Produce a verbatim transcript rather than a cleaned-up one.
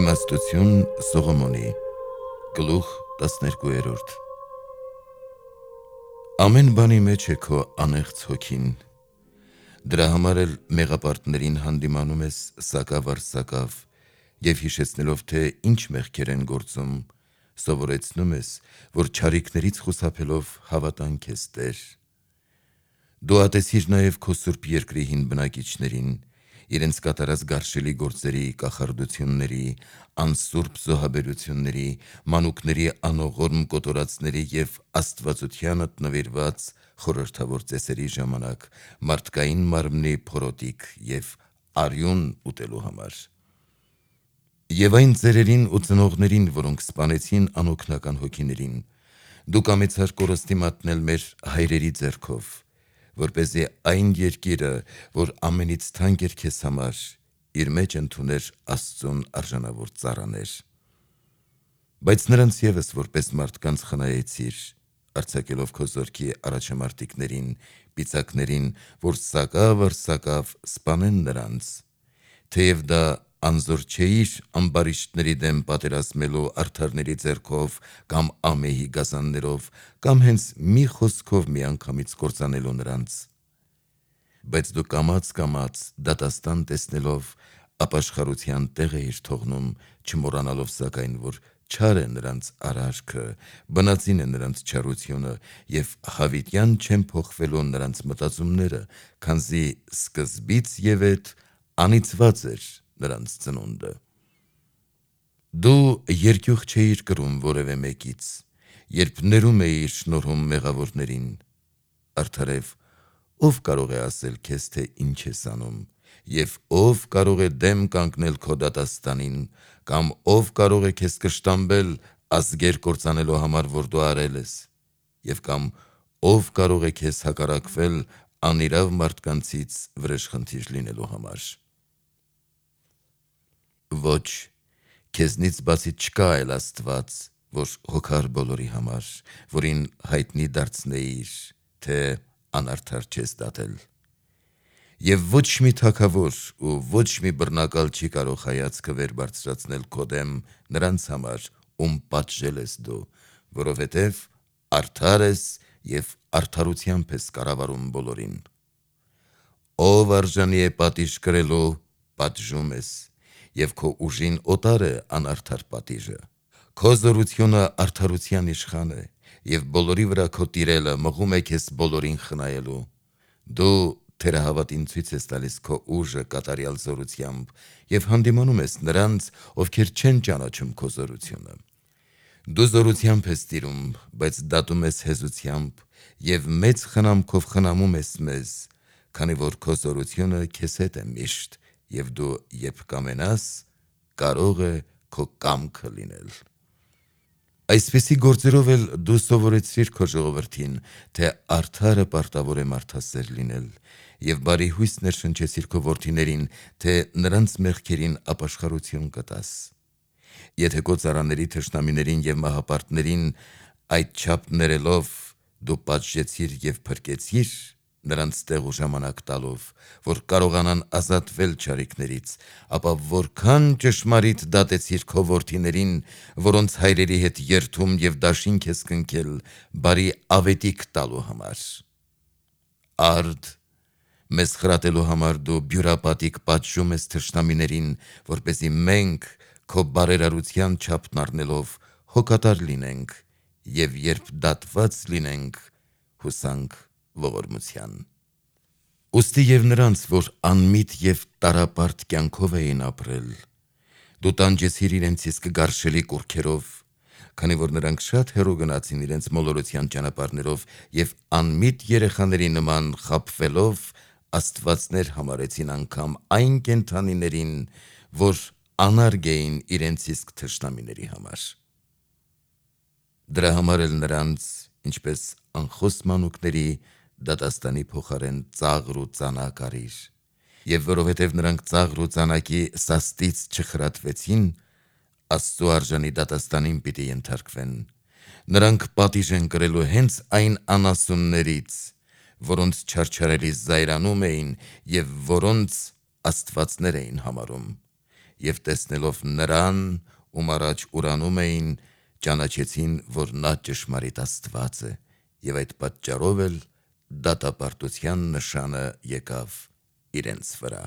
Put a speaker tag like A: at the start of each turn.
A: Իմաստություն Սողոմոնի գլուխ տասներկուերորդ Ամեն բանի մեջ է քո անեղծ հոգին, դրա համար էլ մեղապարտներին հանդիմանում ես սակավ առ սակավ և հիշեցնելով, թե ինչ մեղքեր են գործում, սովորեցնում ես, որ չարիքներից խուսափելով հավատանք ես Տեր։ Դու ատեցիր նաև քո սուրբ երկրի հին բնակիչներին, իրենց կատարած գարշելի գործերի, կախարդությունների, անսուրբ զոհաբերությունների, մանուկների անողորմ կոտորածների և աստվածությանդ նվիրված խորհրդավոր ծեսերի ժամանակ մարդկային մարմնի փորոտիք և արյուն ուտելու համար։ Եվ այն ծերերին ու ծնողներին, որոնք սպանեցին անօգնական հոգիներին, դու կամեցար կորստի մատնել մեր հայրերի ձեռքով, որպեսզի այն երկիրը, որ ամենից թանկ էր քեզ համար, իր մեջ ընդուներ Աստծուն արժանավոր ծառաներ։ Բայց նրանց ևս որպես մարդկանց խնայեցիր, արձակելով քո զորքի առաջամարտիկներին, պիծակներին, որ սակավ առ սակավ սպանեն նրանց, թեև դա անզոր չէիր ամբարիշտների դեմ պատերազմելու արդարների ձեռքով կամ ամեհի գազաններով կամ հենց մի խոսքով միանգամից կործանելու նրանց։ Բայց դու կամաց-կամաց դատաստան տեսնելով ապաշխարության տեղ էիր թողնում, չմոռանալով սակայն, որ չար է նրանց արարքը, բնածին է նրանց չարությունը և հավիտյան չեն փոխվելու նրանց մտածումները, քանզի սկզբից ևեթ անիծված էր նրանց ծնունդը։ Դու երկյուղ չէիր կրում որևէ մեկից, երբ ներում էիր շնորհում մեղավորներին։ Արդարև, ով կարող է ասել քեզ, թե ինչ ես անում, և ով կարող է դեմ կանգնել քո դատաստանին, կամ ով կարող է քեզ կշտամբել ազգեր կործանելու համար, որ դու արել ես, և կամ ով կարող է քեզ հակառակվել անիրավ մարդկանցից վրեժխնդիր լինելու համար։ Ոչ, քեզնից բացի չկա այլ Աստված, որ հոգար բոլորի համար, որին հայտնի դարձնեիր, թե անարդար չես դատել։ Եվ ոչ մի թագավոր ու ոչ մի բռնակալ չի կարող հայացքը վեր բարձրացնել քո դեմ նրանց համար, ում պատժել ես դու, որովհետև արդար ես և արդարությամբ ես կառավարում բոլորին։ Ով արժանի է պատիժ կրելու, պատժում ես, և քո ուժին օտար է անարդար պատիժը։ Քո զորությունը արդարության իշխան է, և բոլորի վրա քո տիրելը մղում է քեզ բոլորին խնայելու։ Դու թերահավատին ցույց ես տալիս քո ուժը կատարյալ զորությամբ և հանդիմանում ես նրանց, ովքեր չեն ճանաչում քո զորությունը։ Դու զորությամբ ես տիրում, բայց դատում ես հեզությամբ և մեծ խնամքով խնամում ես մեզ, քանի որ քո զորությունը քեզ հետ է միշտ, և դու երբ կամենաս, կարող է քո կամքը լինել։ Այսպիսի գործերով էլ դու սովորեցրիր քո ժողովրդին, թե արդարը պարտավոր է մարդասեր լինել, և բարի հույս ներշնչեցիր քո որդիներին, թե նրանց մեղքերին ապաշխարություն կտաս։ Եթե քո ծառաների թշնամիներին և մահապարտներին այդչափ ներելով դու պատժեցիր և փրկեցիր, նրանց տեղ ու ժամանակ տալով, որ կարողանան ազատվել չարիքներից, ապա որքան ճշմարիտ դատեցիր քո որդիներին, որոնց հայրերի հետ երդում և դաշինք ես կնքել բարի ավետիք տալու համար։ Արդ, մեզ խրատելու համար դու բյուրապատիկ պատժում ես թշնամիներին, որպեսզի մենք քո բարերարության չափն առնելով հոգատար լինենք, և երբ դատված լինենք, հուսանք ողորմության։ Ուստի և նրանց, որ անմիտ և տառապարդ կյանքով էին ապրել, դու տանջեցիր իրենց իսկ գարշելի կուռքերով, քանի որ նրանք շատ հեռու գնացին իրենց մոլորության ճանապարհներով և անմիտ երեխաների նման խաբվելով աստվածներ համարեցին անգամ այն կենդանիներին, որ անարգ էին իրենց իսկ թշնամիների համար։ Դրա համար էլ նրանց, ինչպես անխոս մանուկների, դատաստանի փոխարեն ծաղր ու ծանակ արիր, և որովհետև նրանք ծաղր ու ծանակի սաստից չխրատվեցին, Աստծու արժանի դատաստանին պիտի ենթարկվեն։ Նրանք պատիժ են կրելու հենց այն անասուններից, որոնց չարչարելի զայրանում էին և որոնց աստվածներ էին համարում, եւ տեսնելով նրան, ում առաջ ուրանում էին, ճանաչեցին, որ նա ճշմարիտ Աստված է, եւ այդ պատճառով էլ դատապարտության նշանը եկավ իրենց վրա։